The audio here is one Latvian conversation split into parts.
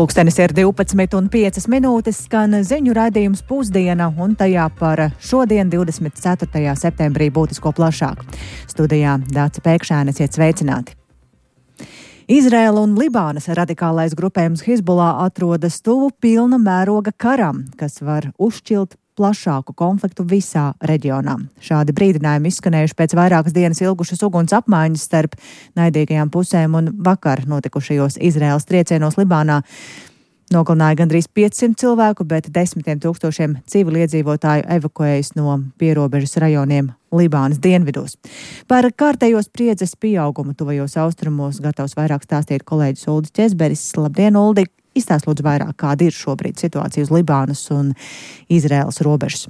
Pulkstenis ir 12:05, skan ziņu raidījums Pusdiena, un tajā par šodien, 24. septembrī, būtisko plašāk. Studijā Dāca Pēkšēne, esiet sveicināti. Izraēla un Libānas radikālais grupējums Hizbullah atrodas tuvu pilna mēroga karam, kas var uzšķilt plašāku konfliktu visā reģionā. Šādi brīdinājumi izskanējuši pēc vairākas dienas ilgušas uguns apmaiņas starp naidīgajām pusēm, un vakar notikušajos Izraēlas triecienos Libānā nogalināja gandrīz 500 cilvēku, bet desmitiem tūkstošiem civiliedzīvotāju evakuējas no pierobežas rajoniem Libānas dienvidos. Par kārtējo spriedzes pieaugumu tuvajos austrumos gatavs vairāk stāstīt kolēģis Uldis Ķezberis. Labdien, Uldi! Izstāst lūdzu vairāk, kāda ir šobrīd situācija uz Libānas un Izraēlas robežas.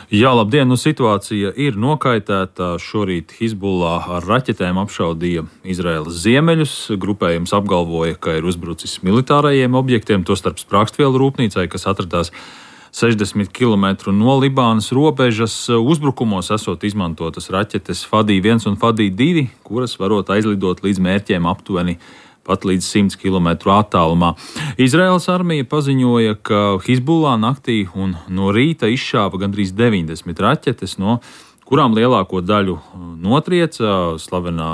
Jā, labdien, situācija ir nokaitēta. Šorīt Hizbullah ar raķetēm apšaudīja Izraēlas ziemeļus. Grupējums apgalvoja, ka ir uzbrucis militārajiem objektiem, tostarp sprākstvielu rūpnīcai, kas atradās 60 km no Libānas robežas. Uzbrukumos esot izmantotas raķetes Fadī-1 un Fadī-2, kuras varot aizlidot līdz mērķiem aptuveni pat līdz 100 km attālumā. Izraēlas armija paziņoja, ka Hizbullah naktī un no rīta izšāva gandrīz 90 raķetes, no kurām lielāko daļu notrieca slavenā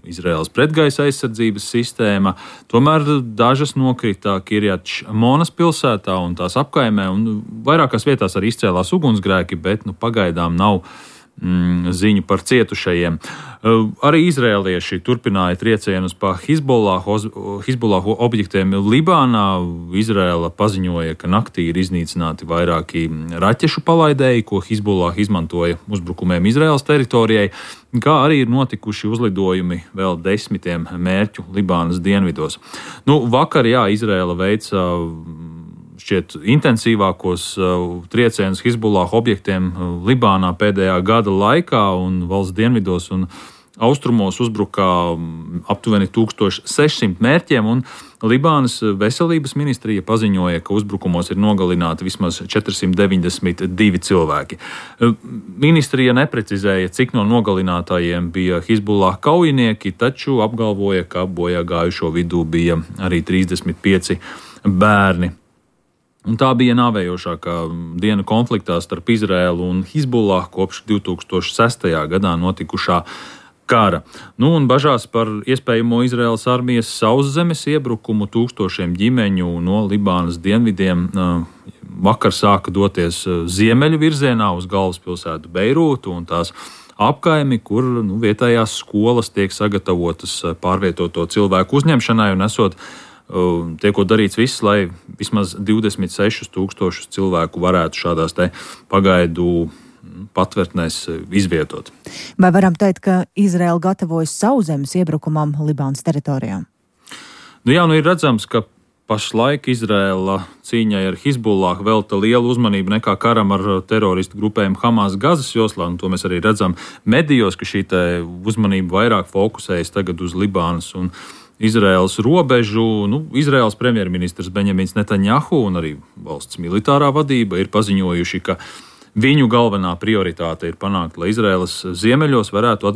Izraēlas pretgaisa aizsardzības sistēma. Tomēr dažas nokrita Kirjat Monas pilsētā un tās apkaimē, un vairākās vietās arī izcēlās ugunsgrēki, bet pagaidām nav ziņu par cietušajiem. Arī izrēlieši turpināja triecienus pa Hizbullah objektiem Libānā. Izrēla paziņoja, ka naktī ir iznīcināti vairāki raķešu palaidēji, ko Hizbullah izmantoja uzbrukumiem Izraēlas teritorijai, kā arī ir notikuši uzlidojumi vēl 10 mērķu Libānas dienvidos. Vakar, Izrēla veica šķiet intensīvākos triecienus Hizbullah objektiem Libānā pēdējā gada laikā, un valsts dienvidos un austrumos uzbruka aptuveni 1600 mērķiem, un Libānas veselības ministrija paziņoja, ka uzbrukumos ir nogalināti vismaz 492 cilvēki. Ministrija neprecizēja, cik no nogalinātājiem bija Hizbullah kaujinieki, taču apgalvoja, ka bojā gājušo vidū bija arī 35 bērni. Un tā bija nāvējošākā diena konfliktā starp Izraēlu un Hizbullah kopš 2006. gadā notikušā kara. Un bažās par iespējamo Izraēlas armijas sauszemes iebrukumu tūkstošiem ģimeņu no Libānas dienvidiem vakar sāka doties ziemeļu virzienā uz galvaspilsētu Beirūtu un tās apkaimi, kur vietējās skolas tiek sagatavotas pārvietoto cilvēku uzņemšanai un tiekot darīts viss, lai vismaz 26,000 cilvēku varētu šādās pagaidu patvērtnēs izvietot. Vai varam teikt, ka Izraēla gatavojas sauszemes iebrukumam Libānas teritorijām? Ir redzams, ka pašlaik Izraēla cīņai ar Hizbullah velta lielu uzmanību nekā karam ar teroristu grupējumu Hamas Gazas joslā, un to mēs arī redzam medijos, ka šī uzmanība vairāk fokusējas tagad uz Libānas un Izraēlas robežu. Izraēlas premjerministrs Benjamins Netanjahu un arī valsts militārā vadība ir paziņojuši, ka viņu galvenā prioritāte ir panākt, lai Izraēlas ziemeļos varētu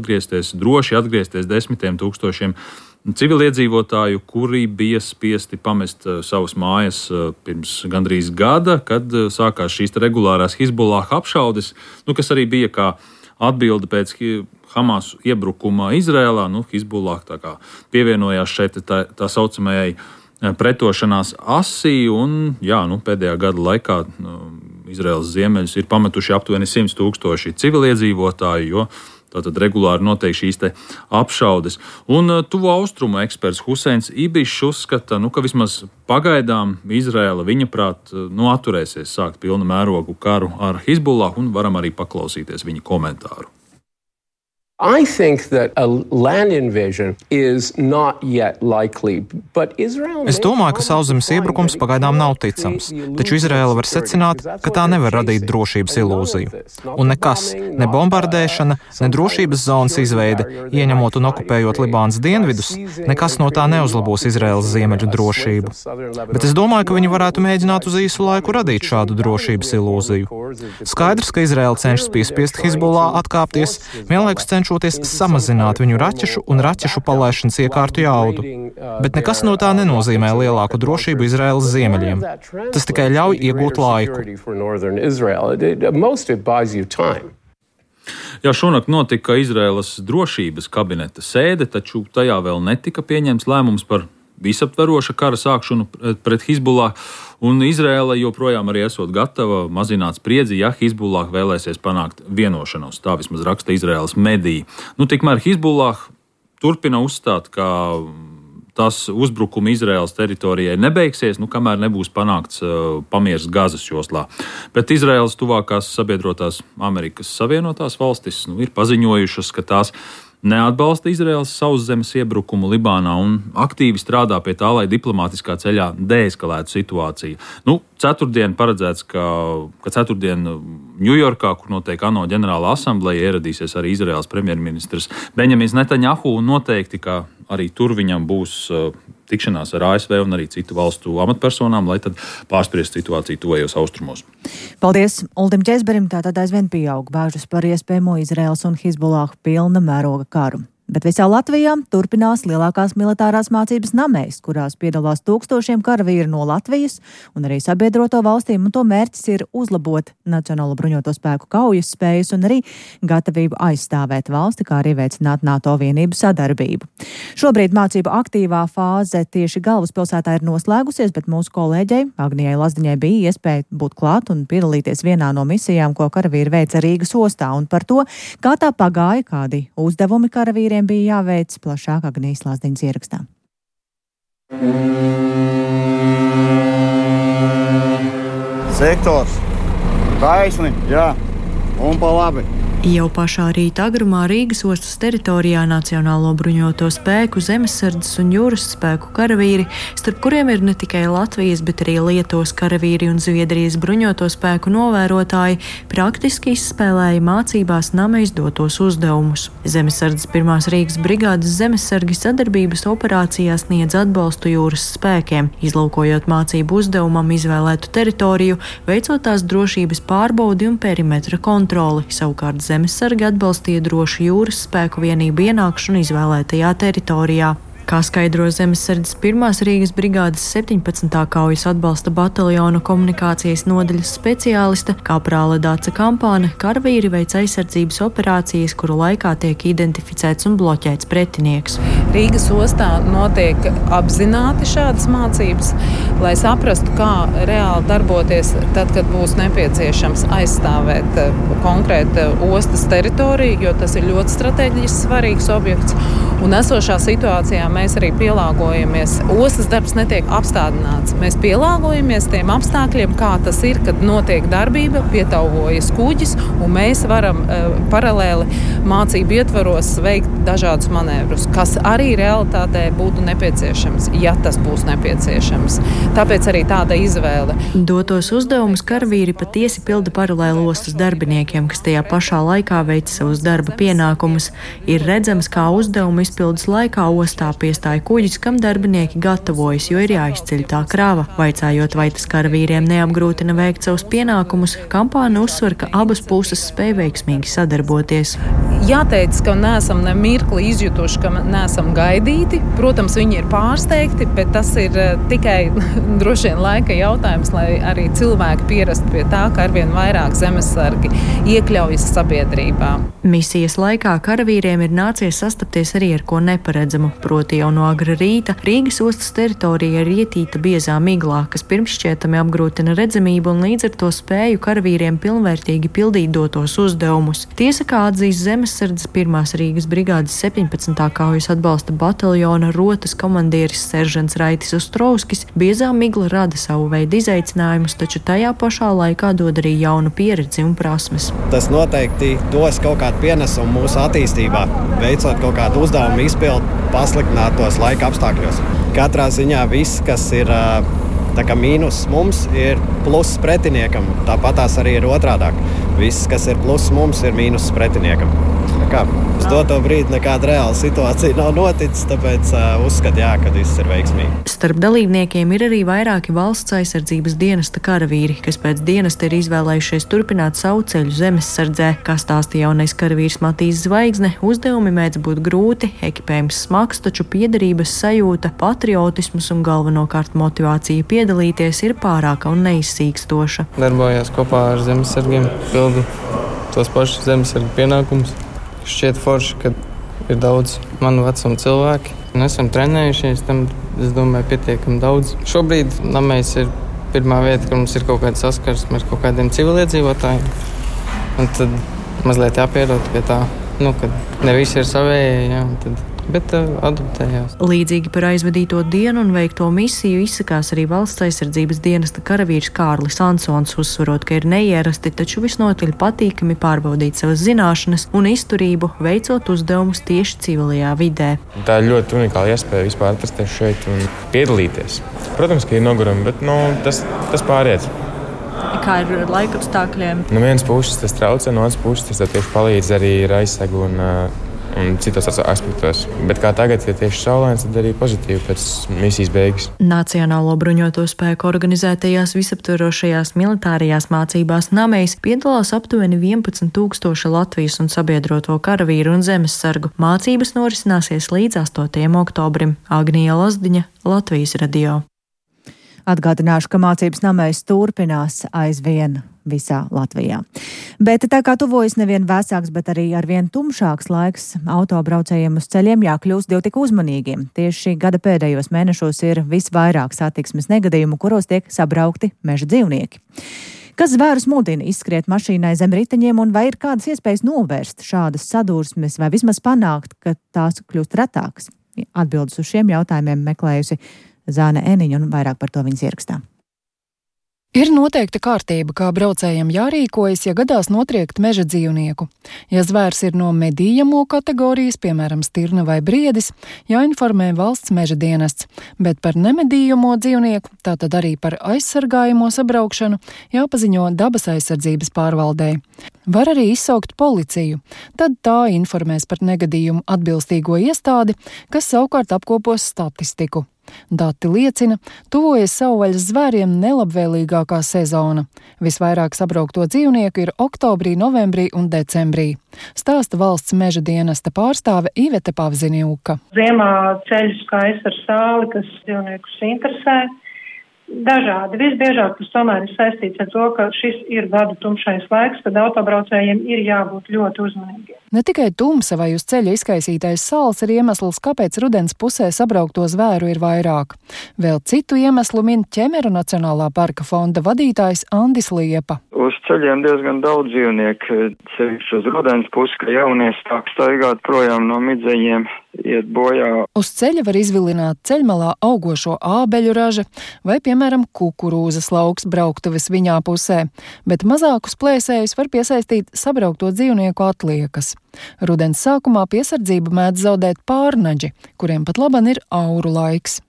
droši atgriezties 10 tūkstošiem civiliedzīvotāju, kuri bija spiesti pamest savas mājas pirms gandrīz gada, kad sākās šīs regulārās Hizbullah apšaudes, kas arī bija kā atbilde pēc Hamas iebrukuma Izrēlā. Hizbullah pievienojās šeit tā saucamajai pretošanās asī, un pēdējā gada laikā Izraēlas ziemeļus ir pametuši aptuveni 100 000 civiliedzīvotāju, jo tātad regulāri notiek šīs apšaudes. Un tuvo austrumu eksperts Huseins Ibišs uzskata, ka vismaz pagaidām Izraēla viņaprāt atturēsies sākt pilna mērogu karu ar Hizbullah, un varam arī paklausīties viņa komentāru. I think that a land invasion is not yet likely, but Israel... Es domāju, ka sauszemes iebrukums pagaidām nav ticams, taču Izraēla var secināt, ka tā nevar radīt drošības ilūziju. Un nekas, ne bombardēšana, ne drošības zonas izveide, ieņemot un okupējot Libānas dienvidus, nekas no tā neuzlabos Izraēlas ziemeļu drošību. Bet es domāju, ka viņi varētu mēģināt uz īsu laiku radīt šādu drošības ilūziju. Skaidrs, ka Izraēla cenšas piespiest Hizbullah atkāpties, vienlaikus cenšas cenšoties samazināt viņu raķešu un raķešu palaišanas iekārtu jaudu. Bet nekas no tā nenozīmē lielāku drošību Izraēlas ziemeļiem. Tas tikai ļauj iegūt laiku. Jā, šonakt notika Izraēlas drošības kabineta sēde, taču tajā vēl netika pieņemts lēmums par visaptveroša kara sākšanu pret Hizbullah, un Izraēla joprojām arī esot gatava mazināt spriedzi, ja Hizbullah vēlēsies panākt vienošanos. Tā vismaz raksta Izraēlas mediji. Tikmēr Hizbullah turpina uzstāt, ka tas uzbrukumi Izraēlas teritorijai nebeigsies, kamēr nebūs panākts pamiers Gazas joslā. Bet Izraēlas tuvākās sabiedrotās Amerikas Savienotās valstis ir paziņojušas, ka tās neatbalsta Izraēlas sauszemes iebrukumu Libānā un aktīvi strādā pie tā, lai diplomātiskā ceļā deeskalētu situāciju. Ceturtdien paredzēts, ka ceturtdien Ņujorkā, kur notiek ANO ģenerāla asambleja, ieradīsies arī Izraēlas premjerministrs Benjamins Netanjahu, un noteikti, ka arī tur viņam būs tikšanās ar ASV un arī citu valstu amatpersonām, lai tad pārspriest situāciju tuvējos austrumos. Paldies Uldim Ķezberim, tātad aizvien pieaug bāžas par iespējamo Izraēlas un Hizbullah pilna mēroga karu. Bet visā Latvijā turpinās lielākās militārās mācības Namēs, kurās piedalās tūkstošiem karavīru no Latvijas un arī sabiedroto valstīm, un to mērķis ir uzlabot Nacionālo bruņoto spēku kaujas spējas un arī gatavību aizstāvēt valsti, kā arī veicināt NATO vienību sadarbību. Šobrīd mācību aktīvā fāze tieši galvaspilsētā ir noslēgusies, bet mūsu kolēģei Agnijai Lazdiņai bija iespēja būt klāt un piedalīties vienā no misijām, ko karavīri veica Rīgas ostā, un par to, kā tā pagāja, kādi uzdevumi karavīriem bija jāveic, plašāk Agnijas Lazdiņas ierakstā. Sektors, taisni, jā, un pa labi. Jau pašā rīta agrumā Rīgas ostas teritorijā Nacionālo bruņoto spēku, zemesardzes un jūras spēku karavīri, starp kuriem ir ne tikai Latvijas, bet arī Lietuvas karavīri un Zviedrijas bruņoto spēku novērotāji, praktiski izspēlēja mācībās Namēs dotos uzdevumus. Zemesardzes 1. Rīgas brigādes zemesargi sadarbības operācijās sniedz atbalstu jūras spēkiem, izlūkojot mācību uzdevumam izvēlētu teritoriju, veicot tās drošības pārbaudi un perimetra kontroli, savukārt zemesargi atbalstīja drošu jūras spēku vienību ienākšanu izvēlētajā teritorijā. Kā skaidro zemesardzes 1. Rīgas brigādes 17. kaujas atbalsta bataljona komunikācijas nodaļas speciāliste Kaprāle Dāca Kampāne, karavīri veic aizsardzības operācijas, kuru laikā tiek identificēts un bloķēts pretinieks. Rīgas ostā notiek apzināti šādas mācības, lai saprastu, kā reāli darboties tad, kad būs nepieciešams aizstāvēt konkrētu ostas teritoriju, jo tas ir ļoti strateģiski svarīgs objekts. Un esošā situācijā mēs arī pielāgojamies. Ostas darbs netiek apstādināts. Mēs pielāgojamies tiem apstākļiem, kā tas ir, kad notiek darbība, pietauvojas kuģis, un mēs varam paralēli mācību ietvaros veikt dažādus manevrus, kas arī realitātē būtu nepieciešams, ja tas būs nepieciešams. Tāpēc arī tāda izvēle. Dotos uzdevumus karavīri patiesi pilda paralēli ostas darbiniekiem, kas tajā pašā laikā veic savus darba pienākumus. Ir redzams, kā uzdevumu izpildes laikā ostā piestāja kuģis, kam darbinieki gatavojas, jo ir jāizceļ tā krava. Vaicājot, vai tas karavīriem neapgrūtina veikt savus pienākumus, Kampāne uzsver, ka abas puses spēj veiksmīgi sadarboties. Jāteic, ka neesam ne mirkli izjutuši, ka neesam gaidīti. Protams, viņi ir pārsteigti, bet tas ir tikai droši vien laika jautājums, lai arī cilvēki pierastu pie tā, ka arvien vairāk zemesargi iekļaujas sabiedrībā. Misijas laikā karavīriem ir nācies sastapties arī ar ko neparedzamu, proti jau no agra rīta Rīgas ostas teritorija ir ietīta biezā miglā, kas pirmšķietami apgrūtina redzamību un līdz ar to spēju karavīriem pilnvērtīgi pildīt dotos uzdevumus. Tiesa, kā atzīst zemesardzes 1. Rīgas brigādes 17. kaujas atbalsta bataljona rotas komandieris seržants Raitis Ostrovskis, biezā migla rada savu veidu izaicinājumus, taču tajā pašā laikā dod arī jaunu pieredzi un prasmes. Tas noteikti dos kaut kādu pienesumu mūsu attīstībā, veicot kaut kādu uzdevumu izpildu pasliktinātos laika apstākļos. Katrā ziņā viss, kas ir tā kā mīnus mums, ir pluss pretiniekam. Tāpat tās arī ir otrādāk. Viss, kas ir pluss mums, ir mīnus pretiniekam. Tā kā uz doto brīdi nekāda reāla situācija nav noticis, tāpēc uzskatu, ka viss ir veiksmīgi. Starp dalībniekiem ir arī vairāki valsts aizsardzības dienesta karavīri, kas pēc dienesta ir izvēlējušies turpināt savu ceļu zemessardzē. Kā stāstīja jaunais karavīrs Matīs Zvaigzne, uzdevumi mēdz būt grūti, ekipējums smags, taču piederības sajūta, patriotisms un galvenokārt motivācija piedalīties ir pārāka un neizsīkstoša. Darbojās kopā ar zemesargiem, pildu tos pašus zemesargu pienākumus. Šķiet forši, ka ir daudz manu vecumu cilvēki. Esam trenējušies, tam, es domāju, pietiekami daudz. Šobrīd namēs ir pirmā vieta, ka mums ir kaut kāda saskarsme ar kaut kādiem civiliedzīvotājiem. Un tad mazliet jāpierod pie tā, kad ne visi ir savējie, bet adaptējās. Līdzīgi par aizvadīto dienu un veikto misiju izsakās arī valsts aizsardzības dienesta karavīrs Kārlis Ansons, uzsverot, ka ir neierasti, taču visnotaļ patīkami pārbaudīt savas zināšanas un izturību, veicot uzdevumus tieši civilajā vidē. Tā ir ļoti unikāla iespēja vispār atrasties šeit un piedalīties. Protams, ka ir nogurumi, bet tas pāriet. Kā ir ar laika apstākļiem? No vienas puses tas traucē, no otras puses tas tieši palīdz arī ar aizsegu un citos aspektos. Bet kā tagad, ja tieši saulains, tad arī pozitīvi pēc misijas beigas. Nacionālo bruņoto spēku organizētajās visaptverošajās militārajās mācībās Namejs piedalās aptuveni 11,000 Latvijas un sabiedroto karavīru un zemessargu. Mācības norisināsies līdz 8. oktobrim. Agnija Lazdiņa, Latvijas radio. Atgādināšu, ka mācības Namejs turpinās aizvien visā Latvijā. Bet tā kā tuvojas nevien vēsāks, bet arī arvien tumšāks laiks, autobraucējiem uz ceļiem jākļūst jau tik uzmanīgiem. Tieši šī gada pēdējos mēnešos ir visvairāk satiksmes negadījumu, kuros tiek sabraukti meža dzīvnieki. Kas zvērus mudina izskriet mašīnai zem riteņiem un vai ir kādas iespējas novērst šādas sadursmes vai vismaz panākt, ka tās kļūst retākas? Atbildes uz šiem jautājumiem meklējusi Zāne Eniņa un vairāk par to viņas ierakstā. Ir noteikta kārtība, kā braucējiem jārīkojas, ja gadās notriekt meža dzīvnieku. Ja zvērs ir no medījamo kategorijas, piemēram, stirna vai briedis, jāinformē valsts meža dienests, bet par nemedījamo dzīvnieku, tātad arī par aizsargājamo sabraukšanu, jāpaziņo dabas aizsardzības pārvaldei. Var arī izsaukt policiju, tad tā informēs par negadījumu atbilstīgo iestādi, kas savukārt apkopos statistiku. Dati liecina, tuvojas savvaļas zvēriem nelabvēlīgākā sezona. Visvairāk sabraukto dzīvnieku ir oktobrī, novembrī un decembrī. Stāsta valsts meža dienesta pārstāve Ivete Pavziniuka. Ziemā ceļu skaists ar sāli, kas dzīvniekus interesē. Dažādi. Visbiežāk tas tomēr ir saistīts ar to, ka šis ir gadu tumšais laiks, kad autobraucējiem ir jābūt ļoti uzmanīgiem. Ne tikai tumsa vai uz ceļa izkaisītais sāls ir iemesls, kāpēc rudens pusē sabraukto zvēru ir vairāk. Vēl citu iemeslu min Ķemeru Nacionālā parka fonda vadītājs Andis Liepa. Uz ceļiem diezgan daudz dzīvnieku, sevišķi uz rudens pusi, ka jaunie sāk staigāt projām no midzeņiem, iet bojā. Uz ceļa var izvilināt ceļmalā augošo ābeļu raža vai, piemēram, kukurūzas lauks brauktuves viņā pusē, bet mazākus plēsējus var piesaistīt sabraukto dzīvnieku atliekas. Rudens sākumā piesardzību mēdz zaudēt pārnaģi, kuriem pat laban ir auru laiks.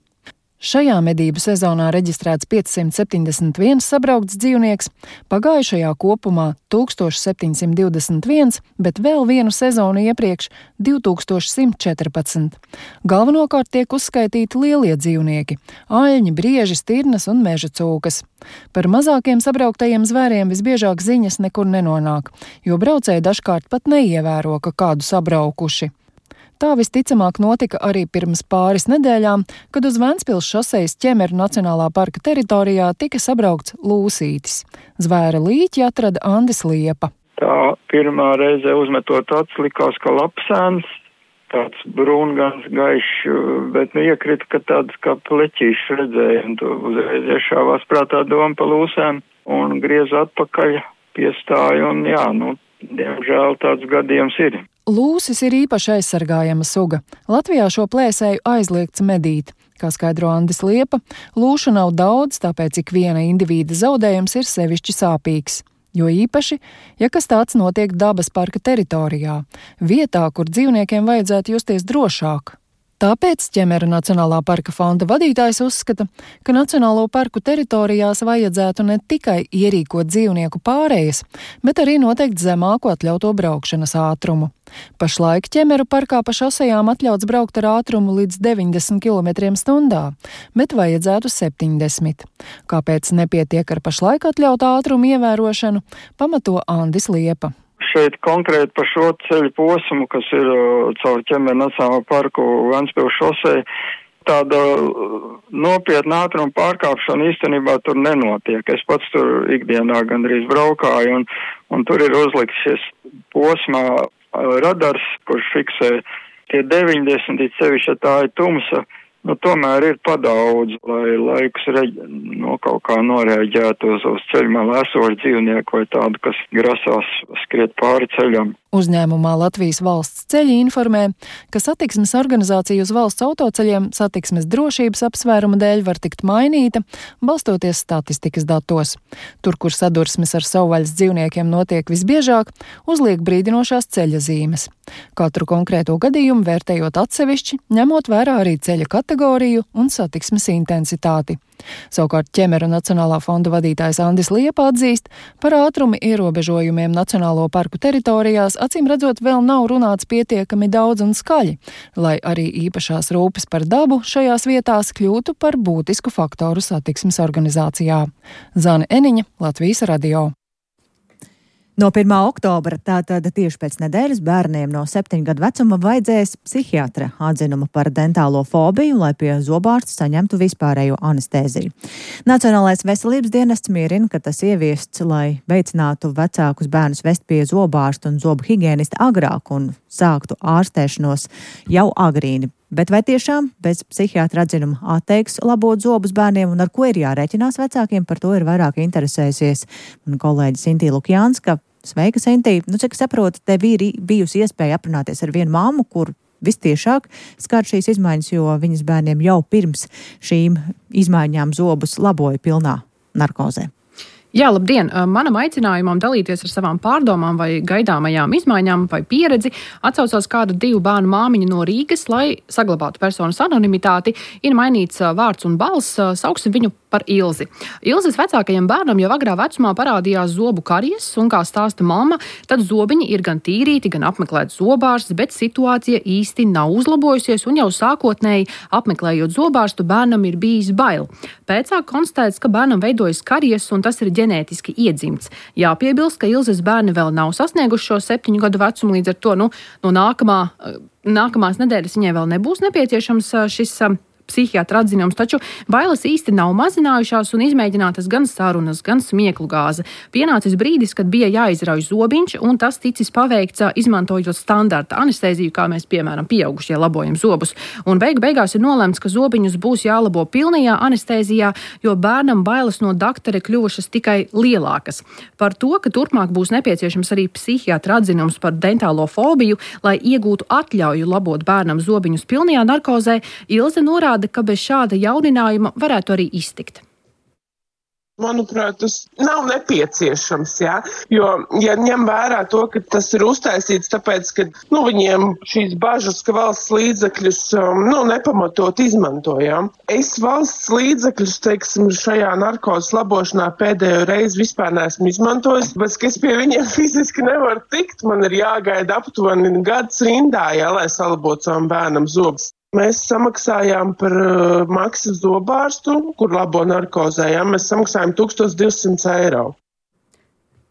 Šajā medību sezonā reģistrēts 571 sabraukts dzīvnieks, pagājušajā kopumā 1721, bet vēl vienu sezonu iepriekš 2114. Galvenokārt tiek uzskaitīti lielie dzīvnieki – aļņi, brieži, stirnas un meža cūkas. Par mazākiem sabrauktajiem zvēriem visbiežāk ziņas nekur nenonāk, jo braucēji dažkārt pat neievēro, ka kādu sabraukuši. Tā visticamāk notika arī pirms pāris nedēļām, kad uz Ventspils šosejas Ķemeru Nacionālā parka teritorijā tika sabraukts lūsītis. Zvēra līķi atrada Andis Liepa. Tā pirmā reize uzmetot acis likās, ka lapsēns, tāds brūngans gaišs, bet iekrita, ka tāds kā pleķīšs redzēja, un to uzreiz iešāvās prātā doma pa lūsēm un griez atpakaļ, piestāja un diemžēl tāds gadījums ir. Lūsis ir īpaši aizsargājama suga. Latvijā šo plēsēju aizliegts medīt. Kā skaidro Andis Liepa, lūšu nav daudz, tāpēc ik viena indivīda zaudējums ir sevišķi sāpīgs. Jo īpaši, ja kas tāds notiek dabas parka teritorijā, vietā, kur dzīvniekiem vajadzētu justies drošāk. Tāpēc Ķemeru Nacionālā parka fonda vadītājs uzskata, ka Nacionālo parku teritorijās vajadzētu ne tikai ierīkot dzīvnieku pārējas, bet arī noteikt zemāku atļauto braukšanas ātrumu. Pašlaik Ķemeru parkā pa šosejām atļauts braukt ar ātrumu līdz 90 km/h, bet vajadzētu 70. Kāpēc nepietiek ar pašlaik atļautā ātrumu ievērošanu, pamato Andis Liepa. Šeit konkrēti par šo ceļu posmu, kas ir caur Ķemeru Nacionālo parku Ventspils šosei, tāda nopietna ātruma pārkāpšana īstenībā tur nenotiek. Es pats tur ikdienā gandrīz braukāju, un tur ir uzlikts šis posmā radars, kurš fiksē tie 90, sevišķi, ja tā ir tumsa. Tomēr ir padaudz, lai laikus kaut kā noreaģētu uz ceļu malā esošu dzīvnieku vai tādu, kas grasās skriet pāri ceļam. Uzņēmumā Latvijas valsts ceļi informē, ka satiksmes organizācija uz valsts autoceļiem satiksmes drošības apsvērumu dēļ var tikt mainīta, balstoties statistikas datos. Tur, kur sadursmes ar savvaļas dzīvniekiem notiek visbiežāk, uzliek brīdinošās ceļa zīmes. Katru konkrēto gadījumu vērtējot atsevišķi, ņemot vērā arī ceļa kategoriju un satiksmes intensitāti. Savukārt Ķemeru Nacionālā fonda vadītājs Andis Liepa atzīst, par ātruma ierobežojumiem Nacionālo parku teritorijās acīm redzot vēl nav runāts pietiekami daudz un skaļi, lai arī īpašās rūpes par dabu šajās vietās kļūtu par būtisku faktoru satiksmes organizācijā. Zane Eniņa, Latvijas radio. No 1. oktobra, tātad tieši pēc nedēļas, bērniem no 7 gadu vecuma vajadzēs psihiatra atzinumu par dentālo fobiju, lai pie zobārsta saņemtu vispārējo anestēziju. Nacionālais veselības dienests mierina, ka tas ieviests, lai veicinātu vecākus bērnus vest pie zobārsta un zobu higienista agrāk un sāktu ārstēšanos jau agrīni. Bet vai tiešām bez psihiatra atzinuma atteiks labot zobus bērniem un ar ko ir jārēķinās vecākiem, par to ir vairāk interesējusies man kolēģi Sintī Lukjānska. Sveika, Sintī! Cik saprotu, tev ir bijusi iespēja aprunāties ar vienu mammu, kur vistiešāk skar šīs izmaiņas, jo viņas bērniem jau pirms šīm izmaiņām zobus laboja pilnā narkozē. Jā, labdien! Manam aicinājumam dalīties ar savām pārdomām vai gaidāmajām izmaiņām vai pieredzi atsaucās kāda 2 bērnu māmiņa no Rīgas, lai saglabātu personas anonimitāti, ir mainīts vārds un balss, sauksim viņu par Ilzi. Ilzes vecākajam bērnam jau agrā vecumā parādījās zobu karies, un kā stāsta mamma, tad zobiņi ir gan tīrīti, gan apmeklēts zobārsts, bet situācija īsti nav uzlabojusies, un jau sākotnēji apmeklējot zobārstu bērnam ir bijis bail. Pēcāk konstatēts, ka bērnam veidojas karies, un tas ir ģenētiski iedzimts. Jāpiebilst, ka Ilzes bērni vēl nav sasnieguši šo 7 gadu vecumu, līdz ar to no nākamās nedēļas viņai vēl nebūs nepieciešams šis psihiatra atzinums, taču bailes īsti nav mazinājušās un izmēģinātas gan sarunas, gan smieklu gāze. Pienācis brīdis, kad bija jāizrauj zobiņš, un tas ticis paveikts izmantojot standarta anestēziju, kā mēs, piemēram, pieaugušie labojam zobus. Un beigās ir nolemts, ka zobiņus būs jālabo pilnajā anestēzijā, jo bērnam bailes no daktara kļuvušas tikai lielākas. Par to, ka turpmāk būs nepieciešams arī psihiatra atzinums par dentālo fobiju, lai iegūtu atļauju labot bērnam zobiņus pilnajā narkozē, Ilze norāda, ka bez šāda jauninājuma varētu arī iztikt. Manuprāt, tas nav nepieciešams, jā, jo, ja ņem vērā to, ka tas ir uztaisīts tāpēc, ka, viņiem šīs bažas, ka valsts līdzekļus, nepamatot izmantojām. Es valsts līdzekļus, teiksim, šajā narkozes labošanā pēdējo reizi vispār neesmu izmantojis, bet es pie viņiem fiziski nevaru tikt, man ir jāgaida aptuveni gads rindā, jā, lai salabotu savam bērnam zobus. Mēs samaksājām par maksu zobārstu, kur labo narkozē, mēs samaksājām 1200 eiro.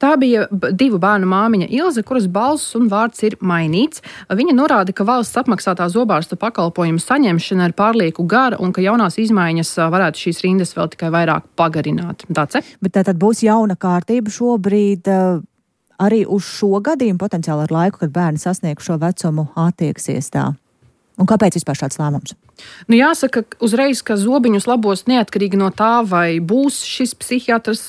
Tā bija 2 bērnu māmiņa Ilze, kuras balss un vārds ir mainīts. Viņa norāda, ka valsts apmaksātā zobārsta pakalpojumu saņemšana ir pārlieku gara un ka jaunās izmaiņas varētu šīs rindas vēl tikai vairāk pagarināt. Dace? Bet tātad būs jauna kārtība šobrīd arī uz šo gadījumu potenciāli ar laiku, kad bērni sasniegs šo vecumu attieksies tā. Un kāpēc vispār šāds lēmums? Jāsaka uzreiz, ka zobiņus labos neatkarīgi no tā, vai būs šis psihiatrs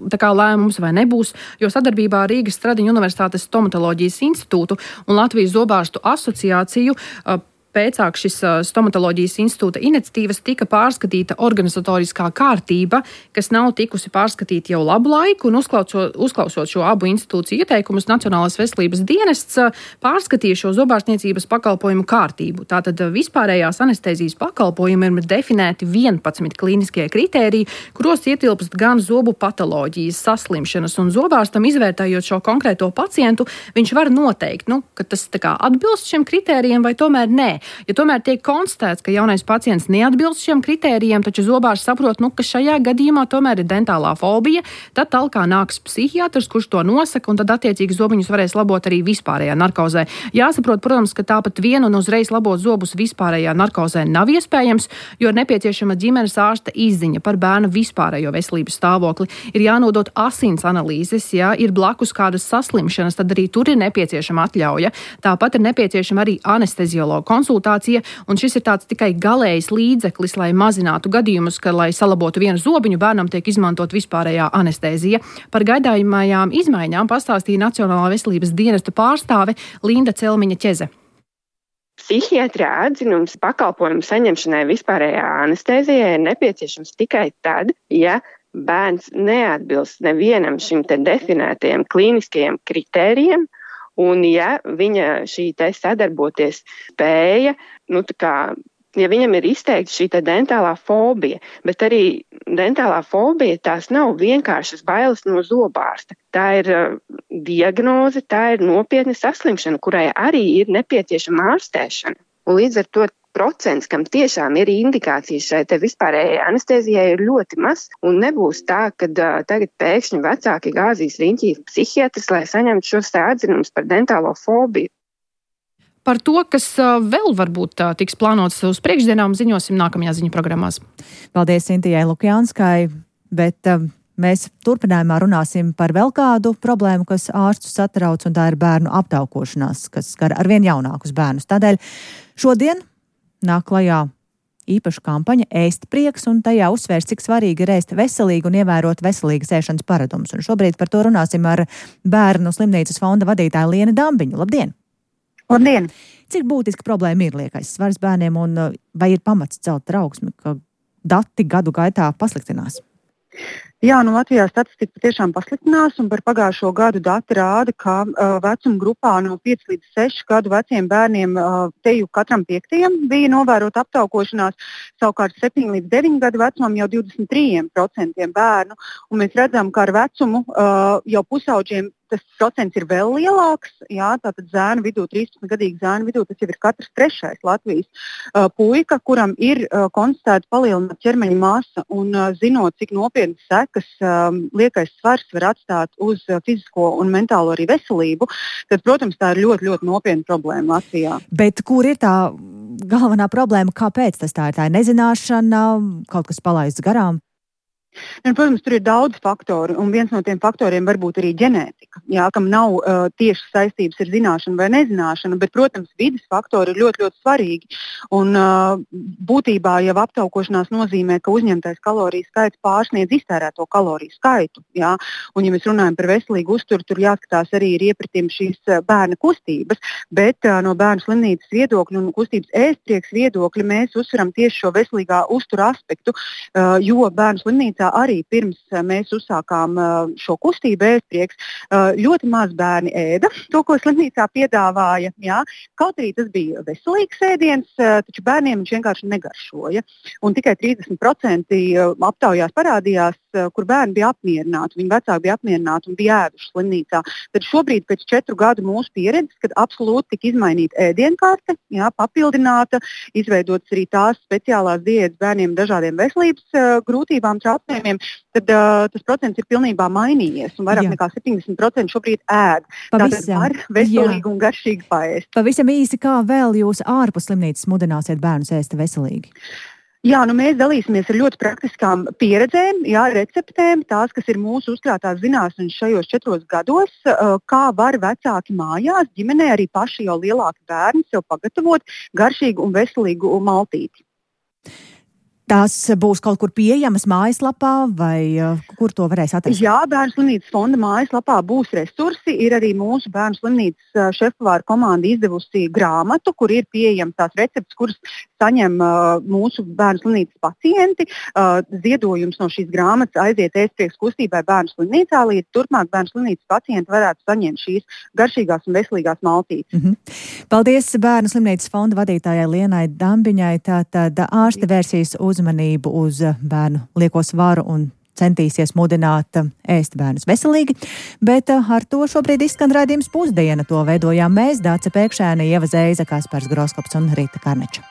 lēmums vai nebūs, jo sadarbībā ar Rīgas Stradiņu Universitātes stomatoloģijas institūtu un Latvijas zobārstu asociāciju pēcāk šis stomatoloģijas institūta iniciatīvas tika pārskatīta organizatoriskā kārtība, kas nav tikusi pārskatīta jau labu laiku, un uzklausot šo abu institūciju ieteikumus, Nacionālais veselības dienests pārskatīja šo zobārstniecības pakalpojumu kārtību. Tātad vispārējās anestēzijas pakalpojumi ir definēti 11 klīniskie kritēriji, kuros ietilpst gan zobu patoloģijas, saslimšanas, un zobārstam izvērtējot šo konkrēto pacientu, viņš var noteikt, ka tas atbilst šiem kritērijiem vai tomēr nē. Ja tomēr tiek konstatēts, ka jaunais pacients neatbilst šiem kritērijiem, taču zobārs saprot, ka šajā gadījumā tomēr ir dentālā fobija, tad talkā nāks psihiatrs, kurš to nosaka, un tad attiecīgi zobiņus varēs labot arī vispārējā narkozē. Jāsaprot, protams, ka tāpat vien un uzreiz labot zobus vispārējā narkozē nav iespējams, jo ir nepieciešama ģimenes ārsta izziņa par bērna vispārējo veselības stāvokli. Ir jānodot asins analīzes, ja ir blakus kādas saslimšanas, tad arī tur ir nepieciešama atļauja. Tāpat ir nepieciešama arī anesteziologa konsultācija, un šis ir tāds tikai galējs līdzeklis, lai mazinātu gadījumus, ka, lai salabotu vienu zobiņu, bērnam tiek izmantot vispārējā anestēzija. Par gaidājumajām izmaiņām pastāstīja Nacionālā veselības dienesta pārstāve Linda Celmiņa-Ķeze. Psihiatrā atzinums pakalpojumu saņemšanai vispārējā anestēzijai ir nepieciešams tikai tad, ja bērns neatbilst nevienam šim te definētajiem klīniskajiem kritērijiem, un ja viņa šī te sadarboties spēja, ja viņam ir izteikta šī te dentālā fobija, bet arī dentālā fobija tās nav vienkāršas bailes no zobārsta. Tā ir diagnoze, tā ir nopietna saslimšana, kurai arī ir nepieciešama ārstēšana. Un līdz ar to procents, kam tiešām ir indikācijas šai te vispārējai anestēzijai, ir ļoti maz, un nebūs tā, ka tagad pēkšņi vecāki gāzīs riņķī psihiatrs, lai saņemtu šos atzinumus par dentālo fobiju. Par to, kas vēl varbūt tiks plānots uz priekšdienām, ziņosim nākamajā ziņu programmās. Paldies Sintijai Lukjanskai, bet mēs turpinājumā runāsim par vēl kādu problēmu, kas ārstus satrauc, un tā ir bērnu aptaukošanās, kas skar arvien jaunākus bērnus. Tādēļ šodien nāk klajā īpaša kampaņa Ēst prieks, un tajā uzsvērs, cik svarīgi ir ēst veselīgi un ievērot veselīgas ēšanas paradumus. Un šobrīd par to runāsim ar Bērnu slimnīcas fonda vadītāju Lienu Dambiņu. Labdien! Labdien! Cik būtiski problēma ir liekais svars bērniem, un vai ir pamats celt trauksmi, ka dati gadu gaitā pasliktinās? Jā, Latvijā statistika patiešām pasliktinās, un par pagājušo gadu dati rāda, ka vecuma grupā no 5 līdz 6 gadu veciem bērniem teju katram 5. bija novērota aptaukošanās, savukārt 7 līdz 9 gadu vecumam jau 23% bērnu, un mēs redzam, ka ar vecumu jau pusauģiem tas procents ir vēl lielāks, jā, tātad zēnu vidū, 13-gadīgu zēnu vidū, tas jau ir katrs 3. Latvijas puika, kuram ir konstatēta palielināta ķermeņa masa, un zinot, cik nopietnas sekas liekais svars var atstāt uz fizisko un mentālo arī veselību, tad, protams, tā ir ļoti, ļoti nopietna problēma Latvijā. Bet kur ir tā galvenā problēma, kāpēc tas tā ir? Tā ir nezināšana, kaut kas palaists garām? Protams, tur ir daudz faktoru, un viens no tiem faktoriem var būt arī ģenētika, jā, kam nav tieši saistības ar zināšanu vai nezināšanu, bet, protams, vides faktori ir ļoti, ļoti svarīgi. Un būtībā jau aptaukošanās nozīmē, ka uzņemtais kaloriju skaits pārsniedz iztērēto kaloriju skaitu. Jā. Un, ja mēs runājam par veselīgu uzturu, tur jāskatās arī ir iepratim šīs bērna kustības, bet no bērnu slimnīcas viedokļa un kustības ēst prieks viedokļa mēs uzsveram tieši šo veselīgā uztura aspektu, jo bērnu slimnīcā arī pirms mēs uzsākām šo kustību ēst prieks, ļoti maz bērni ēda to, ko slimnīcā piedāvāja. Jā. Kaut arī tas bija veselīgs ēdiens, taču bērniem viņš vienkārši negaršoja. Un tikai 30% aptaujās parādījās, kur bērni bija apmierināti, viņu vecāki bija apmierināti un bija ēduši slimnīcā. Tad šobrīd pēc 4 gadu mūsu pieredzes, kad absolūti tika izmainīta ēdienkarte, jā, papildināta, izveidotas arī tās speciālās diētas bērniem dažādiem veselības grūtībām, traucējumiem, tad tas procents ir pilnībā mainījies un vairāk nekā 70% šobrīd ēd. Tātad var veselīgi un garšīgi paēst. Pavisam īsi, kā vēl jūs ārpus slimnīcas mudināsiet bērnus ēst veselīgi? Jā, mēs dalīsimies ar ļoti praktiskām pieredzēm, jā, receptēm, tās, kas ir mūsu uzkrātās zināšanas šajos 4 gados, kā var vecāki mājās, ģimenē, arī paši jau lielāki bērni sev pagatavot garšīgu un veselīgu maltīti. Tās būs kaut kur pieejamas mājaslapā vai kur to varēs atrast? Jā, Bērnu slimnīcas fonda mājaslapā būs resursi. Ir arī mūsu Bērnu slimnīcas šefpavāra komanda izdevusi grāmatu, kur ir pieejams tās receptes, kuras saņem mūsu Bērnu slimnīcas pacienti. Ziedojums no šīs grāmatas aiziet ēstprieks kustībai Bērnu slimnīcā, līdz turpmāk Bērnu slimnīcas pacienti varētu saņemt šīs garšīgās un veselīgās maltītes. Paldies Bērnu slimnīcas fonda vadītājai Lienai Dambiņai. Tātad ārste vērsīs uzmanību uz bērnu lieko svaru un centīsies mudināt ēst bērnus veselīgi, bet ar to šobrīd izskan raidījums Pusdiena. To veidojām mēs, Dāce Pēkšēne, Ieva Zeiza, Kaspars Groskops un Rīta Karneča.